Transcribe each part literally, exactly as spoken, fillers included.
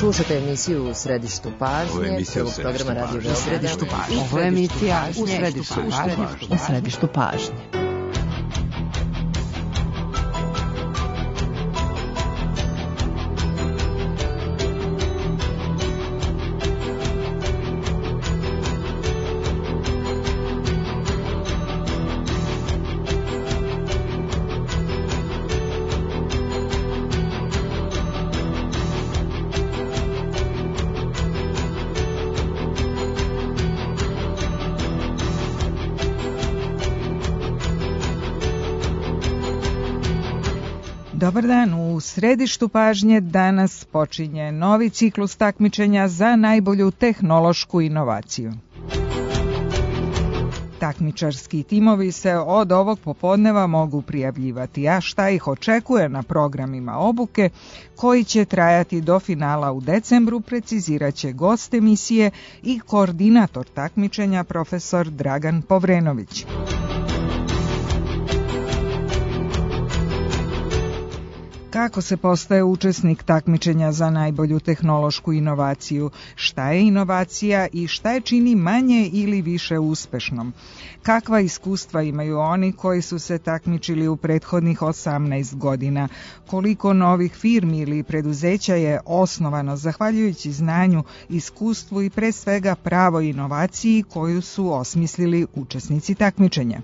Slušajte emisiju U središtu pažnje, prvog programa Radio Beograda. U središtu pažnje. Ovo je emisija U središtu pažnje. U središtu pažnje. Dobar dan, u središtu pažnje danas počinje novi ciklus takmičenja za najbolju tehnološku inovaciju. Takmičarski timovi se od ovog popodneva mogu prijavljivati, a šta ih očekuje na programima obuke koji će trajati do finala u decembru, precizirat će gost emisije i koordinator takmičenja profesor Dragan Povrenović. Kako se postaje učesnik takmičenja za najbolju tehnološku inovaciju? Šta je inovacija i šta je čini manje ili više uspešnom? Kakva iskustva imaju oni koji su se takmičili u prethodnih osamnaest godina? Koliko novih firmi ili preduzeća je osnovano zahvaljujući znanju, iskustvu i pre svega pravoj inovaciji koju su osmislili učesnici takmičenja?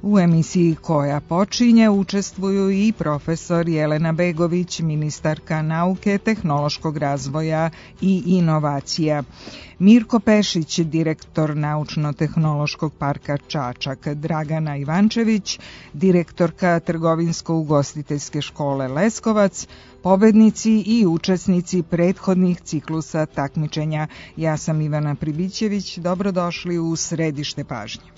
U emisiji koja počinje učestvuju i profesor Jelena Begović, ministarka nauke, tehnološkog razvoja i inovacija, Mirko Pešić, direktor Naučno-tehnološkog parka Čačak, Dragana Ivančević, direktorka Trgovinsko-ugostiteljske škole Leskovac, pobednici i učesnici prethodnih ciklusa takmičenja. Ja sam Ivana Pribićević, dobrodošli u središte pažnje.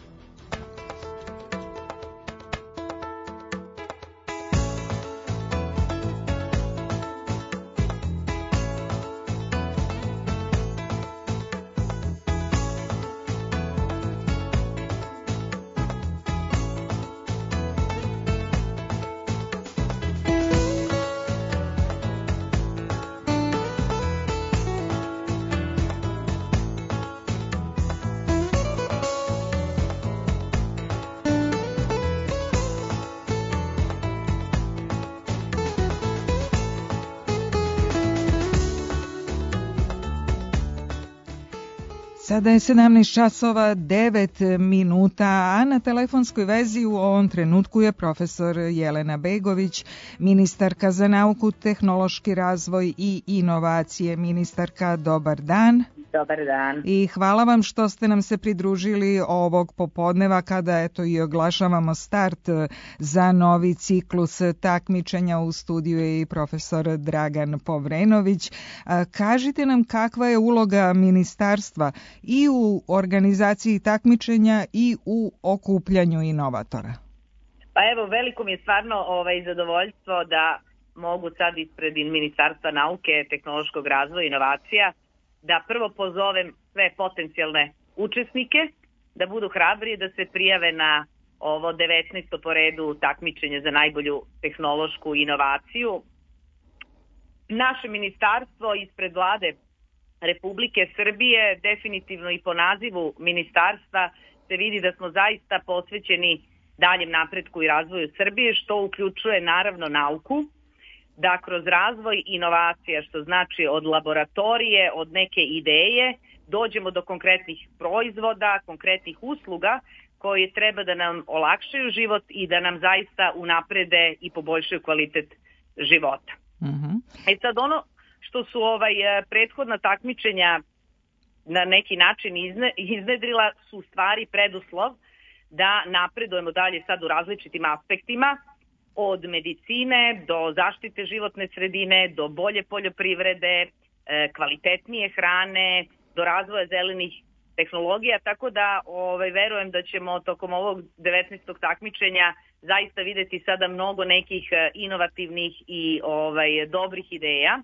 Sada je sedamnaest časova devet minuta, a na telefonskoj vezi u ovom trenutku je profesor Jelena Begović, ministarka za nauku, tehnološki razvoj i inovacije. Ministarka, dobar dan. Dobar dan. I hvala vam što ste nam se pridružili ovog popodneva kada eto i oglašavamo start za novi ciklus takmičenja. U studiju je i profesor Dragan Povrenović. Kažite nam kakva je uloga ministarstva i u organizaciji takmičenja i u okupljanju inovatora. Pa evo, veliko mi je stvarno ovaj, zadovoljstvo da mogu sad ispred Ministarstva nauke, tehnološkog razvoja i inovacija da prvo pozovem sve potencijalne učesnike da budu hrabri da se prijave na ovo devetnaesto po redu takmičenje za najbolju tehnološku inovaciju. Naše ministarstvo ispred Vlade Republike Srbije, definitivno i po nazivu ministarstva, se vidi da smo zaista posvećeni daljem napretku i razvoju Srbije, što uključuje naravno nauku, da kroz razvoj inovacija, što znači od laboratorije, od neke ideje, dođemo do konkretnih proizvoda, konkretnih usluga koji treba da nam olakšaju život i da nam zaista unaprede i poboljšaju kvalitet života. Mm-hmm. E sad ono što su ovaj prethodna takmičenja na neki način izne, iznedrila su stvari preduslov da napredujemo dalje sad u različitim aspektima, od medicine do zaštite životne sredine, do bolje poljoprivrede, kvalitetnije hrane, do razvoja zelenih tehnologija, tako da ovaj, verujem da ćemo tokom ovog devetnaestog takmičenja zaista videti sada mnogo nekih inovativnih i ovaj, dobrih ideja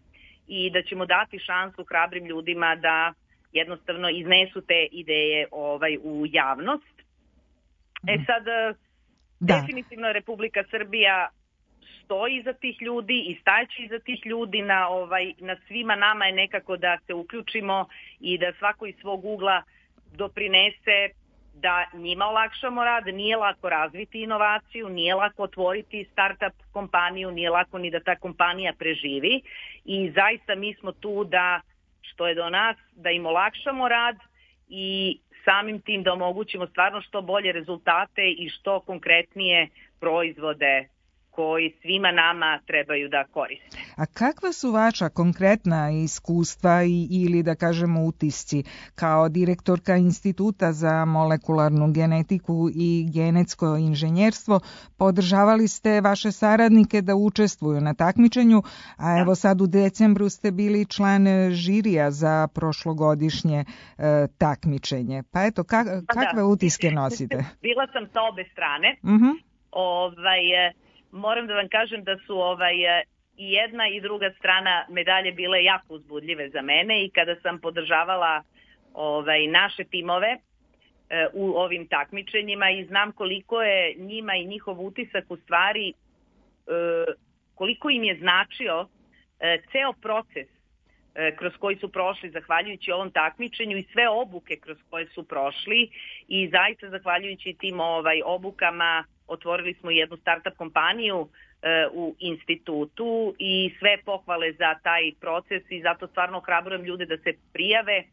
i da ćemo dati šansu hrabrim ljudima da jednostavno iznesu te ideje ovaj, u javnost. E sad, Da. Definitivno Republika Srbija stoji iza tih ljudi i stajeći iza tih ljudi. Na, ovaj, na svima nama je nekako da se uključimo i da svako iz svog ugla doprinese da njima olakšamo rad. Nije lako razviti inovaciju, nije lako otvoriti startup kompaniju, nije lako ni da ta kompanija preživi i zaista mi smo tu da, što je do nas, da im olakšamo rad i samim tim da omogućimo stvarno što bolje rezultate i što konkretnije proizvode koji svima nama trebaju da koriste. A kakva su vaša konkretna iskustva i, ili da kažemo utisci kao direktorka Instituta za molekularnu genetiku i genetsko inženjerstvo? Podržavali ste vaše saradnike da učestvuju na takmičenju, a evo sad u decembru ste bili član žirija za prošlogodišnje e, takmičenje. Pa eto, kak, kakve utiske nosite? Bila sam sa obe strane. Uh-huh. Ovaj... Moram da vam kažem da su ovaj, i jedna i druga strana medalje bile jako uzbudljive za mene i kada sam podržavala ovaj, naše timove e, u ovim takmičenjima i znam koliko je njima i njihov utisak u stvari, e, koliko im je značio e, ceo proces e, kroz koji su prošli zahvaljujući ovom takmičenju i sve obuke kroz koje su prošli i zaista zahvaljujući tim ovaj, obukama otvorili smo jednu startup kompaniju e, u institutu i sve pohvale za taj proces i zato stvarno ohrabrujem ljude da se prijave.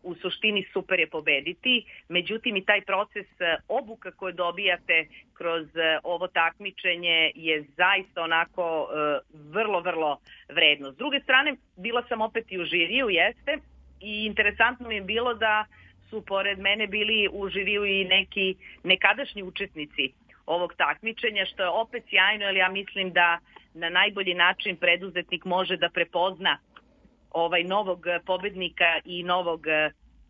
U suštini super je pobediti, međutim i taj proces obuka koje dobijate kroz ovo takmičenje je zaista onako e, vrlo, vrlo vredno. S druge strane, bila sam opet i u žiriju, jeste, i interesantno mi je bilo da su pored mene bili u žiriju i neki nekadašnji učesnici ovog takmičenja, što je opet sjajno, jer ja mislim da na najbolji način preduzetnik može da prepozna ovaj novog pobednika i novog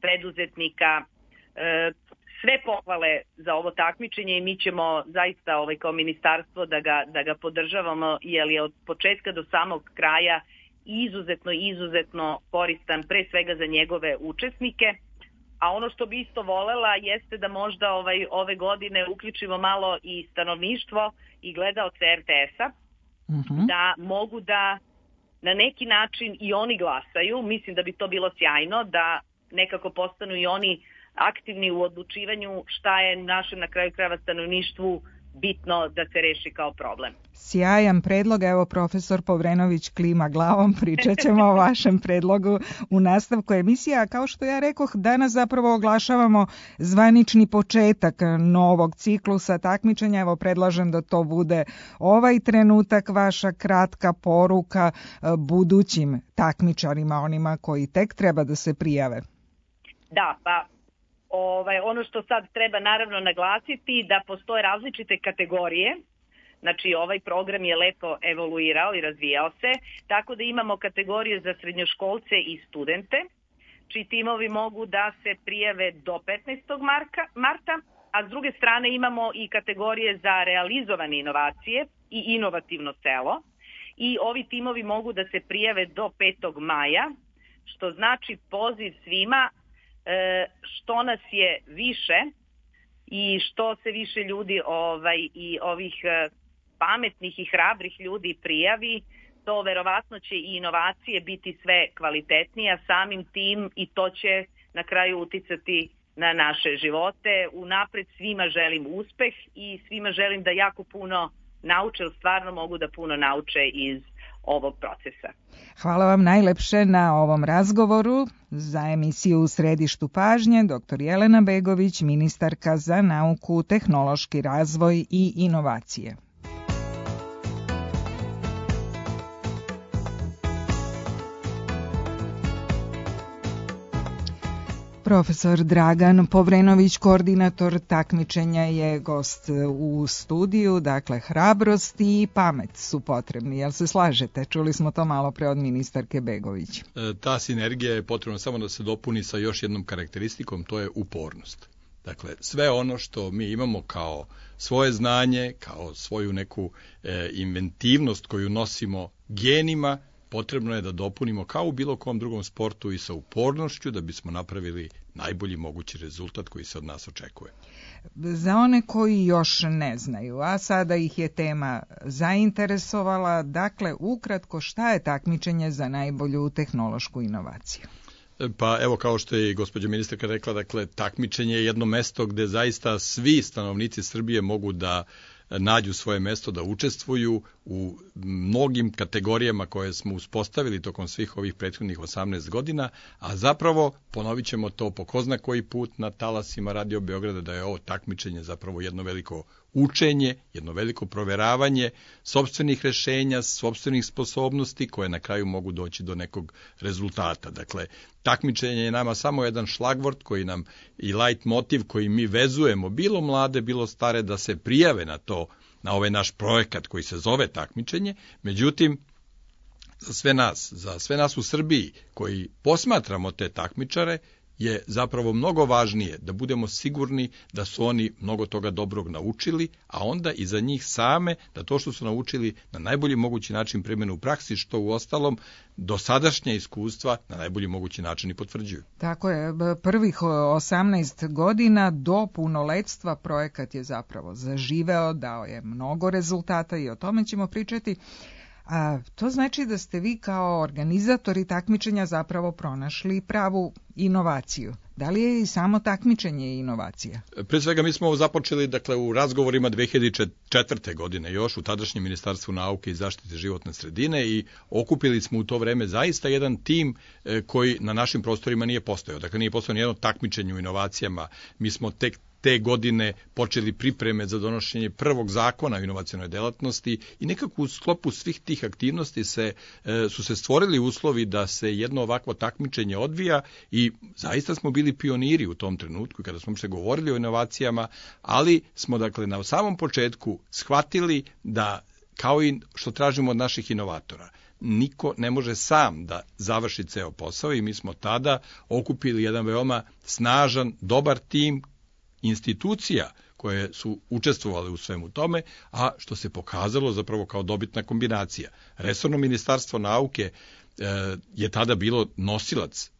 preduzetnika. Sve pohvale za ovo takmičenje i mi ćemo zaista ovaj, kao ministarstvo da ga, da ga podržavamo, jer je od početka do samog kraja izuzetno, izuzetno koristan pre svega za njegove učesnike. A ono što bi isto volela jeste da možda ovaj, ove godine uključimo malo i stanovništvo i gledaoce er te es-a, uh-huh. da mogu da na neki način i oni glasaju. Mislim da bi to bilo sjajno, da nekako postanu i oni aktivni u odlučivanju šta je našem na kraju krajeva stanovništvu bitno da se reši kao problem. Sjajan predlog, evo profesor Povrenović klima glavom, pričat ćemo o vašem predlogu u nastavku emisije, a kao što ja rekoh, danas zapravo oglašavamo zvanični početak novog ciklusa takmičenja, evo predlažem da to bude ovaj trenutak, vaša kratka poruka budućim takmičarima, onima koji tek treba da se prijave. Da, pa Ovaj, ono što sad treba naravno naglasiti da postoje različite kategorije, znači ovaj program je lepo evoluirao i razvijao se, tako da imamo kategorije za srednjoškolce i studente, čiji timovi mogu da se prijave do petnaestog marta, a s druge strane imamo i kategorije za realizovane inovacije i inovativno selo i ovi timovi mogu da se prijave do petog maja, što znači poziv svima što nas je više i što se više ljudi ovaj, i ovih pametnih i hrabrih ljudi prijavi, to verovatno će i inovacije biti sve kvalitetnije, samim tim i to će na kraju uticati na naše živote. Unapred svima želim uspeh i svima želim da jako puno nauče, jer stvarno mogu da puno nauče iz ovog procesa. Hvala vam najlepše na ovom razgovoru. Za emisiju U središtu pažnje doktor Jelena Begović, ministarka za nauku, tehnološki razvoj i inovacije. Profesor Dragan Povrenović, koordinator takmičenja, je gost u studiju. Dakle, hrabrost i pamet su potrebni. Jel se slažete? Čuli smo to malo pre od ministarke Begović. Ta sinergija je potrebna samo da se dopuni sa još jednom karakteristikom, to je upornost. Dakle, sve ono što mi imamo kao svoje znanje, kao svoju neku e, inventivnost koju nosimo genima, potrebno je da dopunimo kao u bilo kom drugom sportu i sa upornošću da bismo napravili najbolji mogući rezultat koji se od nas očekuje. Za one koji još ne znaju, a sada ih je tema zainteresovala, dakle, ukratko, šta je takmičenje za najbolju tehnološku inovaciju? Pa evo, kao što je i gospođa ministarka rekla, dakle, takmičenje je jedno mesto gde zaista svi stanovnici Srbije mogu da nađu svoje mesto, da učestvuju u mnogim kategorijama koje smo uspostavili tokom svih ovih prethodnih osamnaest godina, a zapravo, ponovit ćemo to po ko zna koji put na talasima Radio Beograda, da je ovo takmičenje zapravo jedno veliko učenje, jedno veliko proveravanje sopstvenih rešenja, sopstvenih sposobnosti koje na kraju mogu doći do nekog rezultata. Dakle, takmičenje je nama samo jedan šlagvort koji nam i light motiv koji mi vezujemo, bilo mlade, bilo stare, da se prijave na to, na ovaj naš projekat koji se zove takmičenje. Međutim, za sve nas, za sve nas u Srbiji koji posmatramo te takmičare, je zapravo mnogo važnije da budemo sigurni da su oni mnogo toga dobrog naučili, a onda i za njih same da to što su naučili na najbolji mogući način primene u praksi, što u ostalom dosadašnja iskustva na najbolji mogući način i potvrđuju. Tako je, prvih osamnaest godina do punoletstva projekat je zapravo zaživeo, dao je mnogo rezultata i o tome ćemo pričati. A to znači da ste vi kao organizatori takmičenja zapravo pronašli pravu inovaciju. Da li je i samo takmičenje inovacija? Pre svega mi smo započeli dakle, u razgovorima dve hiljade četvrte. godine još u tadašnjem Ministarstvu nauke i zaštite životne sredine i okupili smo u to vreme zaista jedan tim koji na našim prostorima nije postojao. Dakle, nije postojao nijedno takmičenje u inovacijama. Mi smo tek te godine počeli pripreme za donošenje prvog zakona o inovacionoj delatnosti i nekako u sklopu svih tih aktivnosti se, su se stvorili uslovi da se jedno ovakvo takmičenje odvija i zaista smo bili pioniri u tom trenutku kada smo se govorili o inovacijama, ali smo dakle na samom početku shvatili da kao i što tražimo od naših inovatora, niko ne može sam da završi ceo posao i mi smo tada okupili jedan veoma snažan, dobar tim institucija koje su učestvovale u svemu tome, a što se pokazalo zapravo kao dobitna kombinacija. Resorno ministarstvo nauke e, je tada bilo nosilac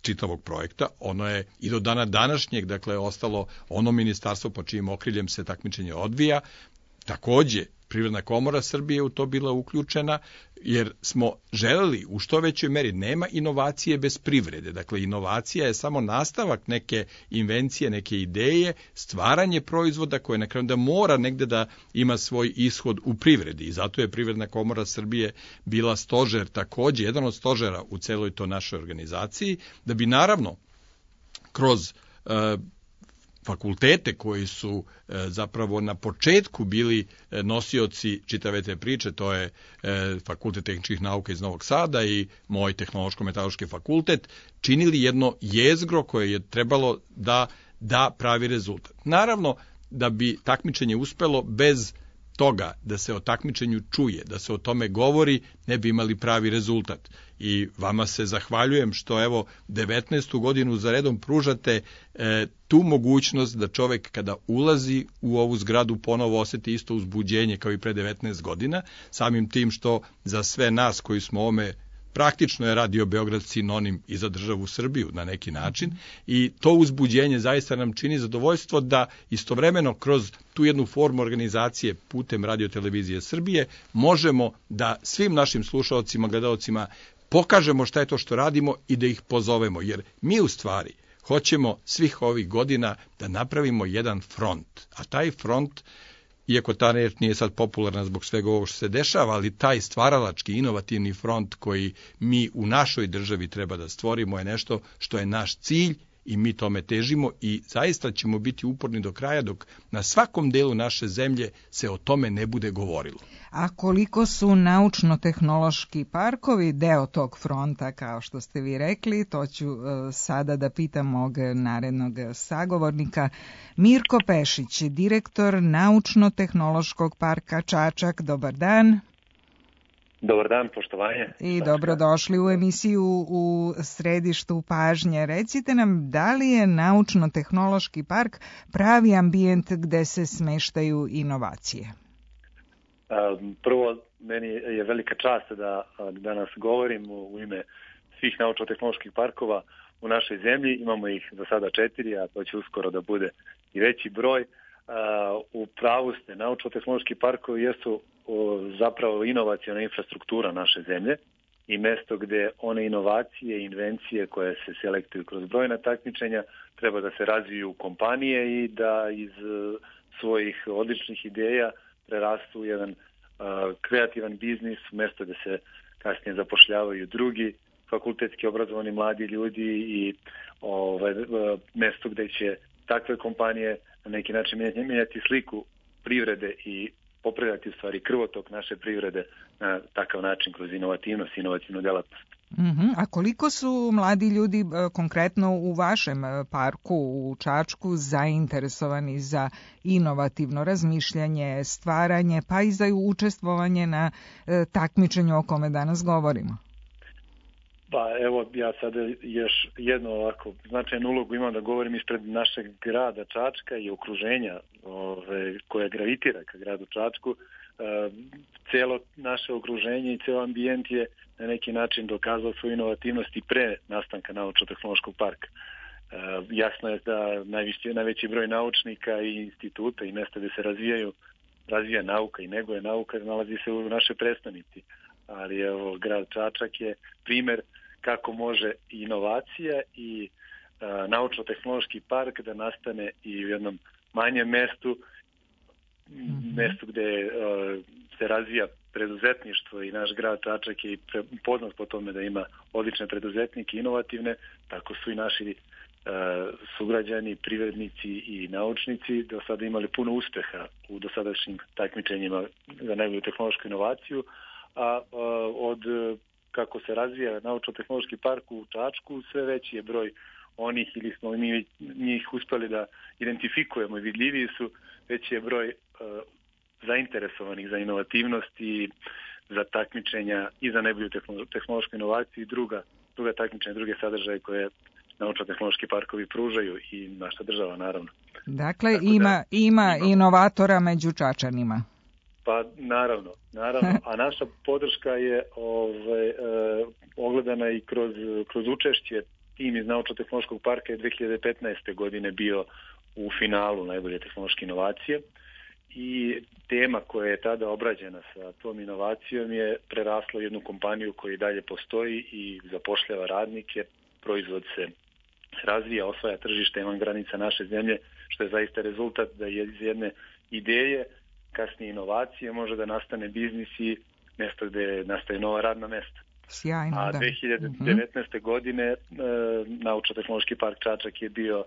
čitavog projekta, ono je i do dana današnjeg, dakle, ostalo ono ministarstvo po čijim okriljem se takmičenje odvija. Takođe, Privredna komora Srbije u to bila uključena, jer smo želeli u što većoj meri, nema inovacije bez privrede. Dakle, inovacija je samo nastavak neke invencije, neke ideje, stvaranje proizvoda koje na kraju da mora negde da ima svoj ishod u privredi. I zato je Privredna komora Srbije bila stožer, takođe, jedan od stožera u celoj to našoj organizaciji, da bi naravno kroz uh, fakultete koji su e, zapravo na početku bili e, nosioci čitave te priče, to je e, Fakultet tehničkih nauka iz Novog Sada i moj tehnološko-metaloški fakultet, činili jedno jezgro koje je trebalo da da pravi rezultat. Naravno, da bi takmičenje uspelo bez toga da se o takmičenju čuje, da se o tome govori, ne bi imali pravi rezultat. I vama se zahvaljujem što evo devetnaestu godinu za redom pružate e, tu mogućnost da čovek kada ulazi u ovu zgradu ponovo oseti isto uzbuđenje kao i pre devetnaest godina, samim tim što za sve nas koji smo ovome praktično je Radio Beograd sinonim i za državu Srbiju na neki način i to uzbuđenje zaista nam čini zadovoljstvo da istovremeno kroz tu jednu formu organizacije putem Radio Televizije Srbije možemo da svim našim slušalcima, gledaocima pokažemo šta je to što radimo i da ih pozovemo, jer mi u stvari hoćemo svih ovih godina da napravimo jedan front, a taj front, iako ta reč nije sad popularna zbog svega ovo što se dešava, ali taj stvaralački, inovativni front koji mi u našoj državi treba da stvorimo je nešto što je naš cilj i mi tome težimo i zaista ćemo biti uporni do kraja dok na svakom delu naše zemlje se o tome ne bude govorilo. A koliko su naučno-tehnološki parkovi deo tog fronta, kao što ste vi rekli, to ću uh, sada da pitam mog narednog sagovornika. Mirko Pešić, direktor Naučno-tehnološkog parka Čačak, dobar dan. Dobar dan, poštovanje. I dobrodošli u emisiju U središtu pažnje. Recite nam, da li je Naučno-tehnološki park pravi ambijent gde se smeštaju inovacije? Prvo, meni je velika čast da danas govorim u ime svih naučno-tehnoloških parkova u našoj zemlji. Imamo ih za sada četiri, a to će uskoro da bude i veći broj. U pravu ste, naučno-tehnološki parkovi jesu zapravo inovaciona infrastruktura naše zemlje i mesto gde one inovacije i invencije koje se selektuju kroz brojna takmičenja treba da se razviju u kompanije i da iz svojih odličnih ideja prerastu u jedan uh, kreativan biznis, mesto gde se kasnije zapošljavaju drugi fakultetski obrazovani mladi ljudi i ovaj, uh, mesto gde će takve kompanije na neki način mijenjati, mijenjati sliku privrede i popravljati u stvari krvotok naše privrede na takav način kroz inovativnost i inovativnu delatnost. Uh-huh. A koliko su mladi ljudi konkretno u vašem parku u Čačku zainteresovani za inovativno razmišljanje, stvaranje, pa i za učestvovanje na e, takmičenju o kome danas govorimo? Pa evo, ja sada još jednu ovako značajnu ulogu imam da govorim ispred našeg grada Čačka i okruženja ove, koje gravitira ka gradu Čačku. E, celo naše okruženje i ceo ambijent je na neki način dokazao svoju inovativnost i pre nastanka naučno-tehnološkog parka. E, jasno je da najviše, najveći broj naučnika i instituta i mesta gde se razvijaju, razvija nauka i neguje nauka nalazi se u našoj prestonici. Ali evo, grad Čačak je primer kako može inovacija i e, naučno-tehnološki park da nastane i u jednom manjem mestu, mm-hmm. mestu gde e, se razvija preduzetništvo i naš grad Čačak je poznat po tome da ima odlične preduzetnike, inovativne, tako su i naši e, sugrađani, privrednici i naučnici do sada imali puno uspeha u dosadašnjim takmičenjima za najbolju tehnološku inovaciju, a, a od kako se razvija naučno-tehnološki park u Čačku, sve veći je broj onih ili smo mi njih uspeli da identifikujemo i vidljiviji su, veći je broj uh, zainteresovanih za inovativnost i za takmičenja i za najbolju tehnološku inovaciju i druga, druga takmičenja, druge sadržaje koje naučno-tehnološki parkovi pružaju i naša država naravno. Dakle, Tako ima, da, ima inovatora među Čačanima. Pa naravno, naravno, a naša podrška je ovaj, e, ogledana i kroz, kroz učešće. Tim iz Naučno-tehnološkog parka je dve hiljade petnaeste. godine bio u finalu najbolje tehnološke inovacije i tema koja je tada obrađena sa tom inovacijom je prerasla u jednu kompaniju koja i dalje postoji i zapošljava radnike, proizvod se razvija, osvaja tržište van granica naše zemlje, što je zaista rezultat da je iz jedne ideje kasnije inovacije može da nastane biznis i mjesto gde nastaje nova radna mesta. Sjajno, A da. dve hiljade devetnaeste. Mm-hmm. godine e, Naučno-tehnološki park Čačak je bio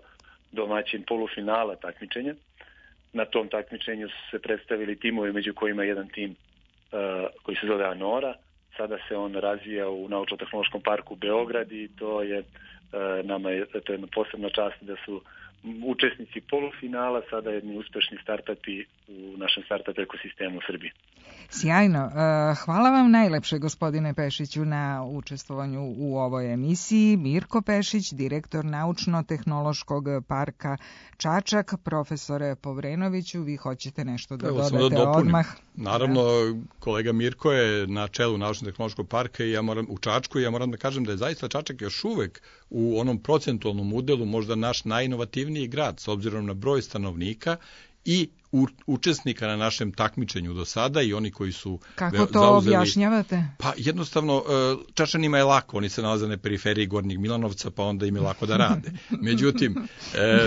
domaćin polufinala takmičenja. Na tom takmičenju su se predstavili timovi, među kojima je jedan tim e, koji se zove Anora. Sada se on razvija u Naučno-tehnološkom parku Beograd i to je e, nama je, to je jedna posebna čast da su učesnici polufinala, sada jedni uspešni startupi u našem startup ekosistemu u Srbiji. Sjajno. Hvala vam najlepše, gospodine Pešiću, na učestvovanju u ovoj emisiji. Mirko Pešić, direktor Naučno-tehnološkog parka Čačak. Profesore Povrenoviću, vi hoćete nešto da Evo, dodate da odmah? Naravno, da. Kolega Mirko je na čelu Naučno-tehnološkog parka i ja moram, u Čačku i ja moram da kažem da je zaista Čačak još uvek u onom procentualnom udelu možda naš najinovativniji grad s obzirom na broj stanovnika i u, učesnika na našem takmičenju do sada i oni koji su Kako to zauzeli, objašnjavate? Pa jednostavno, Čačanima je lako, oni se nalaze na periferiji Gornjeg Milanovca, pa onda im je lako da rade. Međutim,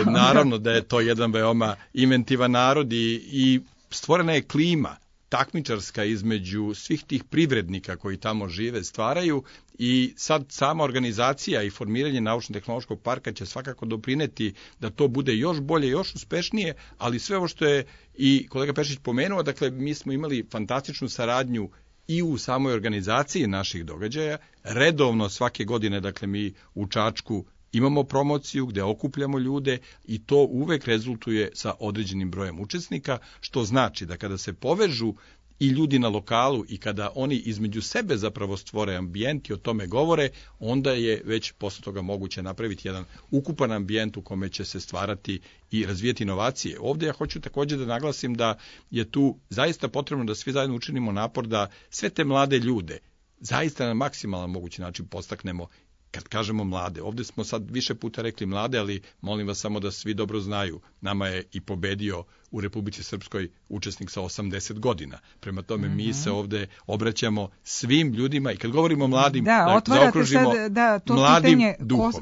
naravno da je to jedan veoma inventivan narod i, i stvorena je klima takmičarska između svih tih privrednika koji tamo žive, stvaraju i sad sama organizacija i formiranje Naučno-tehnološkog parka će svakako doprineti da to bude još bolje, još uspešnije, ali sve ovo što je i kolega Pešić pomenuo, dakle mi smo imali fantastičnu saradnju i u samoj organizaciji naših događaja, redovno svake godine, dakle mi u Čačku imamo promociju gde okupljamo ljude i to uvek rezultuje sa određenim brojem učesnika, što znači da kada se povežu i ljudi na lokalu i kada oni između sebe zapravo stvore ambijent i o tome govore, onda je već posle toga moguće napraviti jedan ukupan ambijent u kome će se stvarati i razvijeti inovacije. Ovdje ja hoću također da naglasim da je tu zaista potrebno da svi zajedno učinimo napor da sve te mlade ljude zaista na maksimalan mogući način podstaknemo. Kad kažemo mlade, ovdje smo sad više puta rekli mlade, ali molim vas samo da svi dobro znaju, nama je i pobedio u Republici Srpskoj učesnik sa osamdeset godina. Prema tome, mm-hmm. mi se ovdje obraćamo svim ljudima i kad govorimo mladim, da, da zaokružimo sad, da, to mladim pitanje, duhom.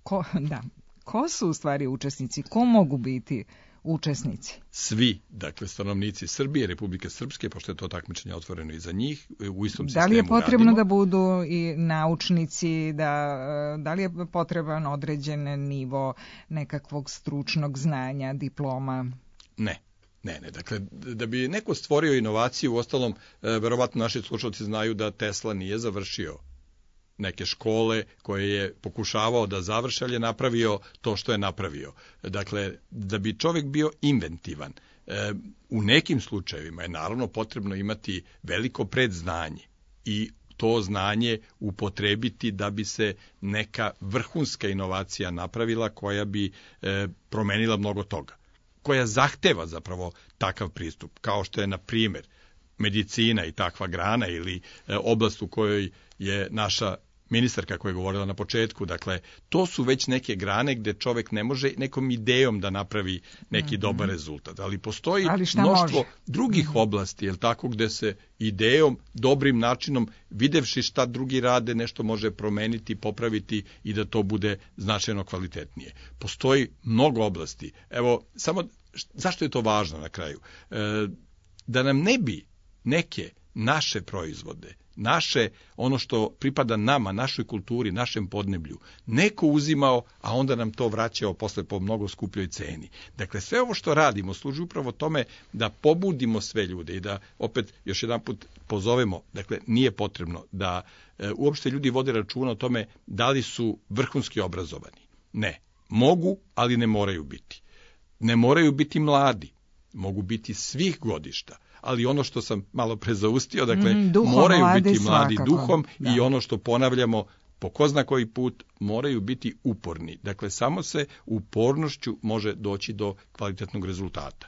Ko, ko, da, ko su u stvari učesnici? Ko mogu biti učesnici? Svi, dakle, stanovnici Srbije, Republike Srpske, pošto je to takmičenje otvoreno i za njih, u istom sistemu radimo. Da li je potrebno radimo. da budu i naučnici, da, da li je potreban određen nivo nekakvog stručnog znanja, diploma? Ne. Ne, ne, dakle, da bi neko stvorio inovaciju, u ostalom, verovatno naši slušalci znaju da Tesla nije završio neke škole koje je pokušavao da završi, ali je napravio to što je napravio. Dakle, da bi čovjek bio inventivan, e, u nekim slučajevima je naravno potrebno imati veliko predznanje i to znanje upotrebiti da bi se neka vrhunska inovacija napravila koja bi e, promenila mnogo toga, koja zahteva zapravo takav pristup, kao što je, na primjer, medicina i takva grana ili e, oblast u kojoj je naša ministarka koja je govorila na početku. Dakle, to su već neke grane gdje čovjek ne može nekom idejom da napravi neki mm-hmm. dobar rezultat. Ali postoji Ali mnoštvo može? drugih mm-hmm. oblasti, jel tako, gdje se idejom, dobrim načinom, videvši šta drugi rade, nešto može promeniti, popraviti i da to bude značajno kvalitetnije. Postoji mnogo oblasti. Evo, samo zašto je to važno na kraju? E, da nam ne bi neke naše proizvode, naše, ono što pripada nama, našoj kulturi, našem podneblju, neko uzimao, a onda nam to vraćao posle po mnogo skupljoj ceni. Dakle, sve ovo što radimo služi upravo tome da pobudimo sve ljude i da opet još jedan put pozovemo, dakle, nije potrebno da e, uopšte ljudi vode računa o tome da li su vrhunski obrazovani. Ne, mogu, ali ne moraju biti. Ne moraju biti mladi, mogu biti svih godišta. Ali ono što sam malo pre zaustio, dakle, mm, duhom, moraju mladi, biti mladi svakako. duhom Da. i ono što ponavljamo po ko zna koji put, moraju biti uporni. Dakle, samo se upornošću može doći do kvalitetnog rezultata.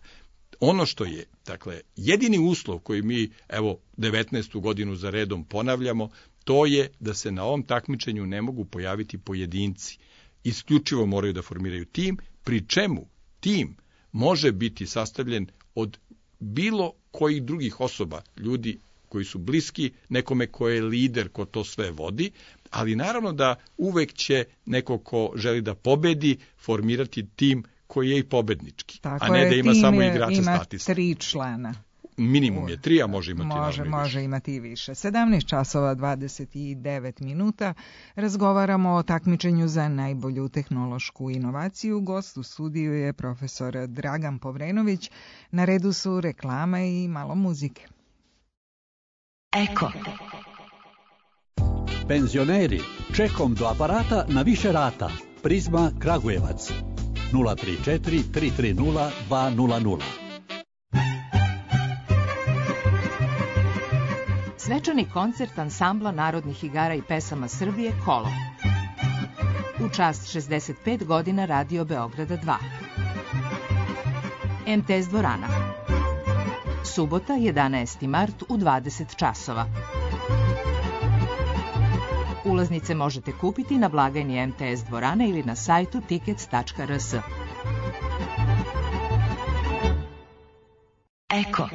Ono što je, dakle, jedini uslov koji mi, evo, devetnaestu godinu za redom ponavljamo, to je da se na ovom takmičenju ne mogu pojaviti pojedinci. Isključivo moraju da formiraju tim, pri čemu tim može biti sastavljen od bilo kojih drugih osoba, ljudi koji su bliski nekome ko je lider, ko to sve vodi, ali naravno da uvek će neko ko želi da pobedi formirati tim koji je i pobednički, Tako a ne je, da ima tim samo je, igrača ima statista. tri člana. Minimum je tri, a može imati Može, naravno i može više. imati i više. sedamnaest časova dvadeset devet minuta. Razgovaramo o takmičenju za najbolju tehnološku inovaciju. Gost u studiju je profesor Dragan Povrenović. Na redu su reklama i malo muzike. Eko. Penzioneri, čekom do aparata na više rata. Prizma Kragujevac. nula tri četiri tri tri nula dva nula nula. Svečani koncert ansambla narodnih igara i pesama Srbije Kolo. U čast šezdeset pet godina Radio Beograda dva. em te es dvorana. Subota, jedanaesti mart u dvadeset časova. Ulaznice možete kupiti na blagajni em te es dvorane ili na sajtu tickets tačka r s. Eko.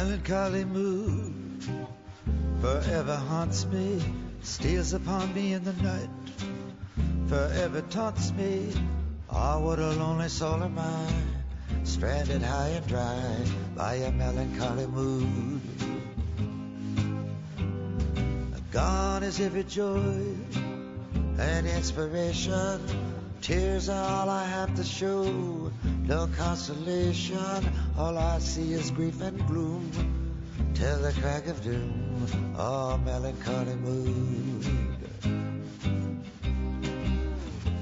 melancholy mood forever haunts me, steals upon me in the night, forever taunts me. Ah, what a lonely soul am I, stranded high and dry by a melancholy mood. Gone is every joy and inspiration, tears are all I have to show, no consolation, all I see is grief and gloom, till the crack of doom, oh melancholy mood.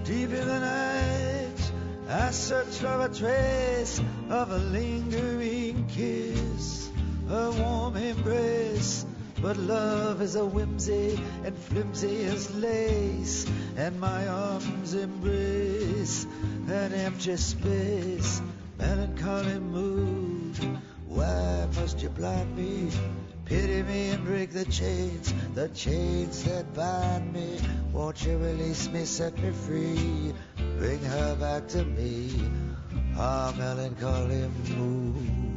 Deep in the night, I search for a trace of a lingering kiss, a warm embrace, but love is a whimsy and flimsy as lace, and my arms embrace an empty space, melancholy mood. Why must you blind me? Pity me and break the chains, the chains that bind me. Won't you release me, set me free, bring her back to me, ah, melancholy mood.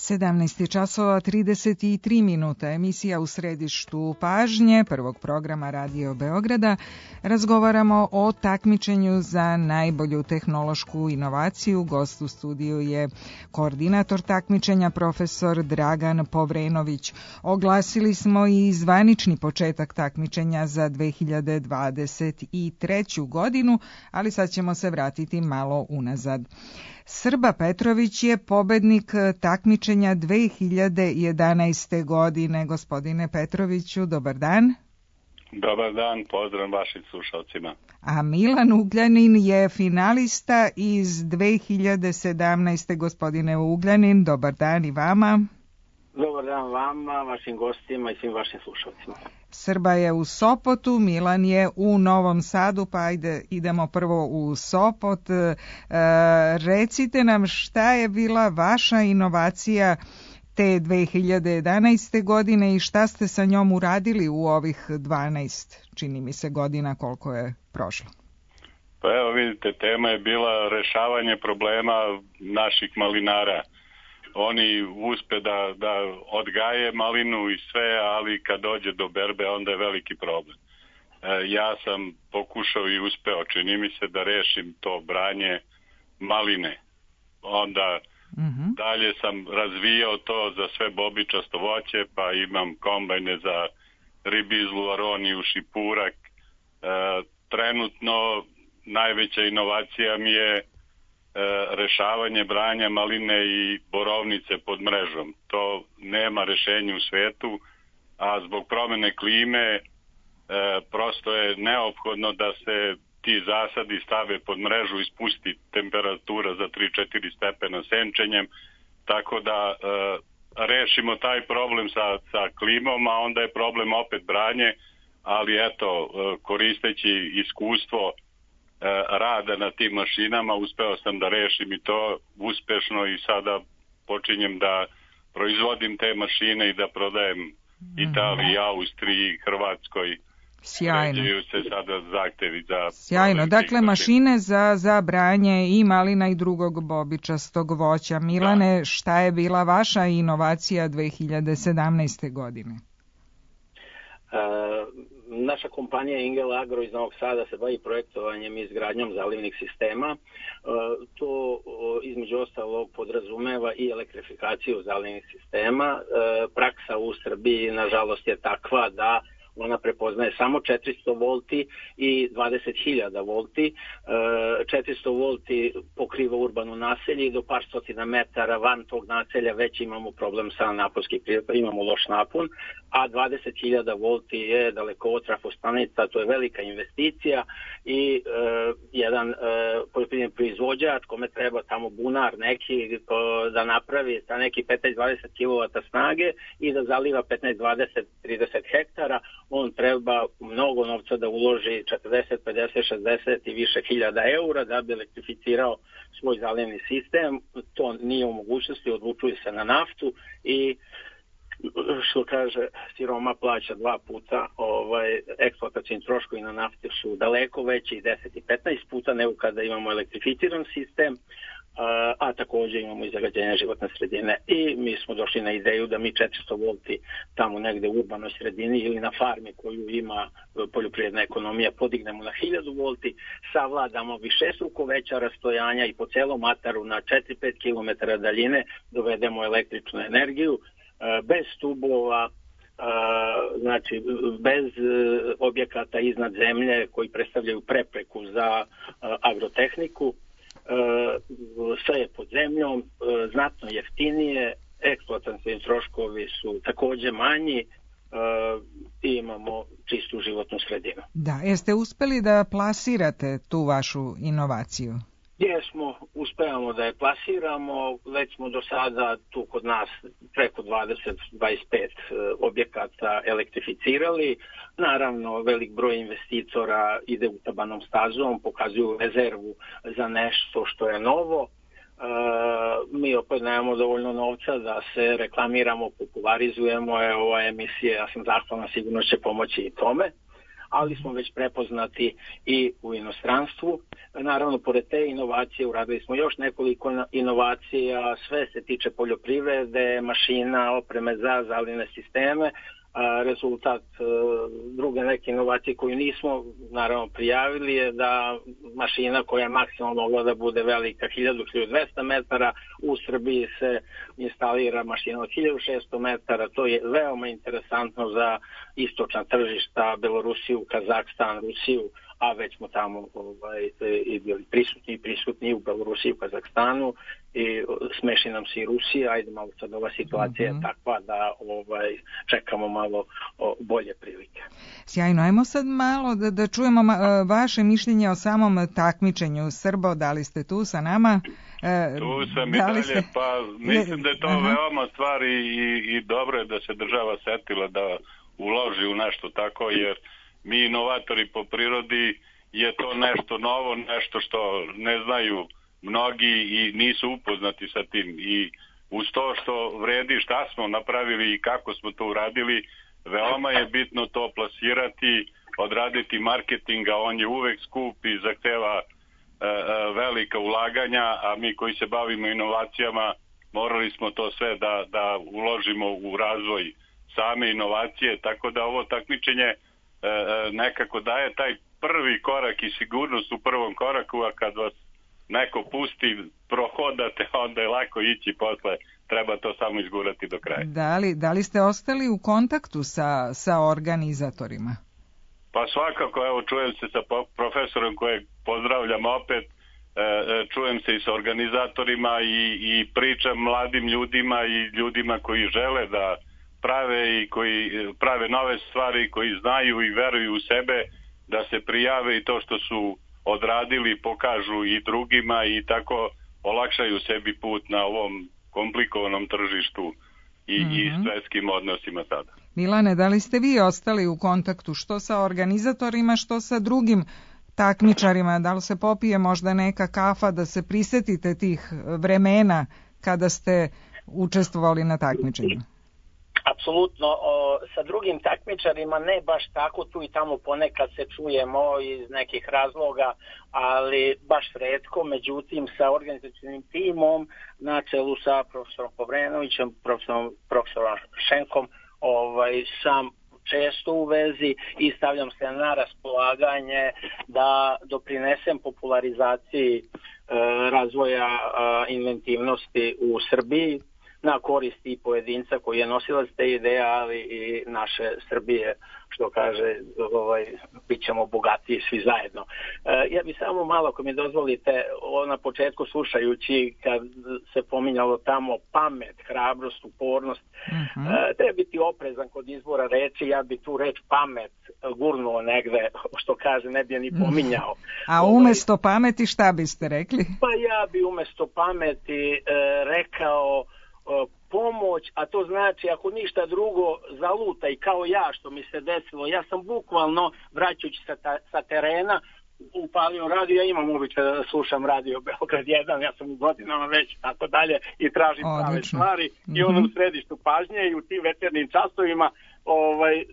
sedamnaest časova trideset tri minuta, emisija U središtu pažnje prvog programa Radio Beograda. Razgovaramo o takmičenju za najbolju tehnološku inovaciju. Gost u studiju je koordinator takmičenja profesor Dragan Povrenović. Oglasili smo i zvanični početak takmičenja za dve hiljade dvadeset treću godinu, ali sad ćemo se vratiti malo unazad. Srba Petrović je pobednik takmičenja dve hiljade jedanaeste. godine. Gospodine Petroviću, dobar dan. Dobar dan, pozdrav vašim slušalcima. A Milan Ugljanin je finalista iz dve hiljade sedamnaeste. Gospodine Ugljanin, dobar dan i vama. Dobar dan vama, vašim gostima i svim vašim slušalcima. Srba je u Sopotu, Milan je u Novom Sadu, pa ajde idemo prvo u Sopot. E, recite nam šta je bila vaša inovacija te dve hiljade jedanaeste. godine i šta ste sa njom uradili u ovih dvanaest, čini mi se, godina koliko je prošlo. Pa evo vidite, tema je bila rešavanje problema naših malinara. Oni uspe da, da odgaje malinu i sve, ali kad dođe do berbe onda je veliki problem. E, ja sam pokušao i uspeo, čini mi se, da rešim to branje maline. Onda mm-hmm. dalje sam razvijao to za sve bobičasto voće, pa imam kombajne za ribizlu, aroniju, šipurak. E, trenutno najveća inovacija mi je rešavanje branja maline i borovnice pod mrežom. To nema rešenja u svetu, a zbog promene klime e, prosto je neophodno da se ti zasadi stave pod mrežu i spusti temperatura za tri do četiri stepena senčenjem, tako da e, rešimo taj problem sa, sa klimom, a onda je problem opet branje, ali eto, e, koristeći iskustvo rada na tim mašinama, uspeo sam da rešim i to uspešno i sada počinjem da proizvodim te mašine i da prodajem Italiji, Austriji, Hrvatskoj. Sjajno. Se sada zahtevi za Sjajno. Dakle, mašine za, za branje i malina i drugog bobičastog voća. Milane, da. Šta je bila vaša inovacija dve hiljade sedamnaeste. godine? Uh, Naša kompanija Ingel Agro iz Novog Sada se bavi projektovanjem i izgradnjom zalivnih sistema. To između ostalog podrazumeva i elektrifikaciju zalivnih sistema. Praksa u Srbiji nažalost je takva da ona prepoznaje samo četiristo volti i dvadeset hiljada volti. četiristo volti pokriva urbano naselje i do par stotina metara van tog naselja već imamo problem sa naponskim prirod, imamo loš napon, a dvadeset hiljada volti je dalekovod trafostanica, to je velika investicija i jedan e, poljoprivredni proizvođač kome treba tamo bunar neki ko, da napravi sa neki petnaest do dvadeset kilovata snage i da zaliva petnaest, dvadeset, trideset hektara, on treba mnogo novca da uloži četrdeset, pedeset, šezdeset i više hiljada eura da bi elektrificirao svoj zalivni sistem. To nije u mogućnosti, odlučuje se na naftu i što kaže, siroma plaća dva puta, ovaj, eksploatacijni troškovi na nafti su daleko veći, deset i petnaest puta nego kada imamo elektrificiran sistem, a, a također imamo i zagađenje životne sredine. I mi smo došli na ideju da mi četiristo volti tamo negde u urbanoj sredini ili na farmi koju ima poljoprivredna ekonomija podignemo na hiljadu volti, savladamo višestruko veća rastojanja i po celom ataru na četiri do pet kilometara daljine dovedemo električnu energiju bez stubova, znači bez objekata iznad zemlje koji predstavljaju prepreku za agrotehniku. Sve je pod zemljom, znatno jeftinije, eksploatacijni troškovi su također manji i imamo čistu životnu sredinu. Da, jeste uspeli da plasirate tu vašu inovaciju? Jesmo, uspevamo da je plasiramo, već smo do sada tu kod nas preko dvadeset do dvadeset pet objekata elektrificirali. Naravno, velik broj investitora ide utabanom stazom, pokazuju rezervu za nešto što je novo. E, mi opet nemamo dovoljno novca da se reklamiramo, popularizujemo. E, ova emisija, ja sam zahvalna, sigurno će pomoći i tome. Ali smo već prepoznati i u inostranstvu. Naravno, pored te inovacije uradili smo još nekoliko inovacija, sve se tiče poljoprivrede, mašina, opreme za zalivne sisteme. Rezultat druge neke inovacije koju nismo naravno prijavili je da mašina koja je maksimalno mogla da bude velika hiljadu do hiljadu dvesta metara, u Srbiji se instalira mašina od hiljadu šesto metara. To je veoma interesantno za istočna tržišta, Belorusiju, Kazahstan, Rusiju, a već smo tamo ovaj, i bili prisutni i prisutni u Belorusiji, u Kazahstanu i smeši nam se i Rusija. Ajde, malo sad ova situacija mm-hmm. je takva da ovaj, čekamo malo o, bolje prilike. Sjajno, ajmo sad malo da, da čujemo ma, vaše mišljenje o samom takmičenju. Srbo, da li ste tu sa nama? E, tu sam i dalje, ste... pa mislim da je to Aha. veoma stvar i, i, i dobro je da se država setila da uloži u nešto tako, jer mi inovatori po prirodi je to nešto novo, nešto što ne znaju mnogi i nisu upoznati sa tim. I uz to što vredi šta smo napravili i kako smo to uradili, veoma je bitno to plasirati, odraditi marketinga, on je uvek skup i zahteva e, velika ulaganja, a mi koji se bavimo inovacijama morali smo to sve da, da uložimo u razvoj same inovacije, tako da ovo takmičenje nekako daje taj prvi korak i sigurnost u prvom koraku, a kad vas neko pusti, prohodate, onda je lako ići posle, treba to samo izgurati do kraja. Da li, da li ste ostali u kontaktu sa, sa organizatorima? Pa svakako, evo, čujem se sa profesorom kojeg pozdravljam opet, čujem se i sa organizatorima i, i pričam mladim ljudima i ljudima koji žele da prave i koji prave nove stvari, koji znaju i veruju u sebe, da se prijave i to što su odradili pokažu i drugima i tako olakšaju sebi put na ovom komplikovanom tržištu i, mm-hmm. i svetskim odnosima sada. Milane, da li ste vi ostali u kontaktu što sa organizatorima, što sa drugim takmičarima? Da li se popije možda neka kafa da se prisetite tih vremena kada ste učestvovali na takmičenju? Apsolutno, o, sa drugim takmičarima ne baš tako, tu i tamo ponekad se čujemo iz nekih razloga, ali baš retko. Međutim, sa organizacijnim timom na čelu sa profesorom Povrenovićem, profesorom, profesorom Šenkom, ovaj, sam često u vezi i stavljam se na raspolaganje da doprinesem popularizaciji e, razvoja e, inventivnosti u Srbiji. na korist i pojedinca koji je nosilac te ideje, ali i naše Srbije, što kaže, ovaj, bit ćemo bogatiji svi zajedno. E, ja bih samo malo, ako mi dozvolite, na početku slušajući kad se pominjalo tamo pamet, hrabrost, upornost, uh-huh. e, treba biti oprezan kod izbora reči, ja bi tu reč pamet gurnuo negde, što kaže, ne bi je ni pominjao. A umesto pameti šta biste rekli? Pa ja bi umesto pameti e, rekao e, pomoć, a to znači ako ništa drugo zalutaj kao ja što mi se desilo. Ja sam bukvalno, vraćajući sa, ta, sa terena, upalio radio, ja imam običaj da slušam radio Beograd jedan, ja sam u godinama već tako dalje i tražim Odlično. prave stvari mm-hmm. i ono u središtu pažnje i u tim večernjim časovima ovaj,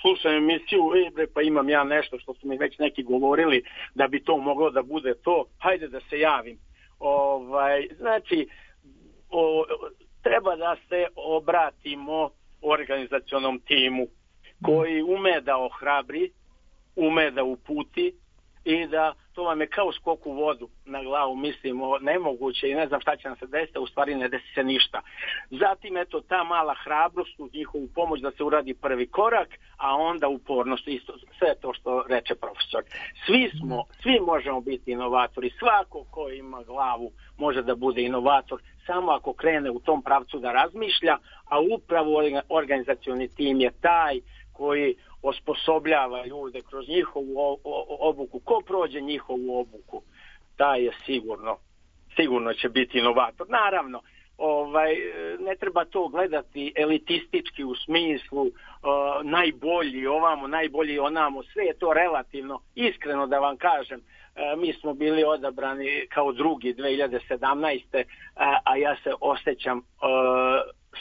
slušam emisiju, e, bre, pa imam ja nešto što su mi već neki govorili da bi to moglo da bude to, hajde da se javim. Ovaj, znači, o, treba da se obratimo organizacionom timu koji ume da ohrabri, ume da uputi i da to vam je kao skok u vodu na glavu, mislimo nemoguće i ne znam šta će nam se desiti, u stvari ne desi se ništa. Zatim eto ta mala hrabrost u njihovu pomoć da se uradi prvi korak, a onda upornost, isto sve to što reče profesor. Svi smo, svi možemo biti inovatori, svako ko ima glavu može da bude inovator, samo ako krene u tom pravcu da razmišlja, a upravo organizacioni tim je taj koji osposobljava ljude kroz njihovu obuku. Ko prođe njihovu obuku, taj je sigurno, sigurno će biti inovator. Naravno, ovaj, ne treba to gledati elitistički u smislu uh, najbolji ovamo, najbolji onamo, sve je to relativno. Iskreno da vam kažem, uh, mi smo bili odabrani kao drugi dve hiljade sedamnaeste. Uh, a ja se osjećam uh,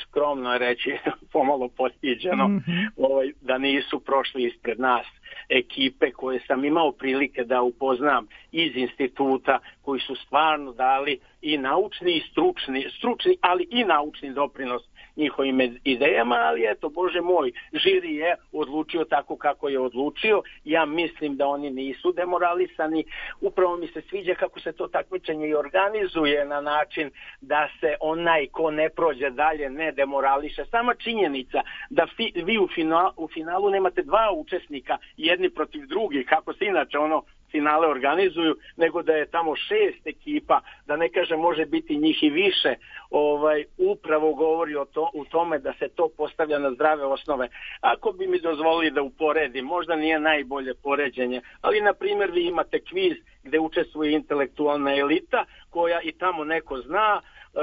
skromno reći, pomalo postiđeno, mm-hmm. ovaj, da nisu prošli ispred nas ekipe koje sam imao prilike da upoznam iz instituta, koji su stvarno dali i naučni i stručni, stručni, ali i naučni doprinos njihovim idejama, ali eto, Bože moj, žiri je odlučio tako kako je odlučio. Ja mislim da oni nisu demoralisani. Upravo mi se sviđa kako se to takmičenje i organizuje na način da se onaj ko ne prođe dalje ne demorališe. Sama činjenica da fi, vi u, final, u finalu nemate dva učesnika, jedni protiv drugih, kako se inače ono finale organizuju, nego da je tamo šest ekipa, da ne kaže može biti njih i više, ovaj, upravo govori o to, u tome da se to postavlja na zdrave osnove. Ako bi mi dozvolili da uporedim, možda nije najbolje poređenje, ali na primjer vi imate kviz gde učestvuje intelektualna elita, koja i tamo neko zna e,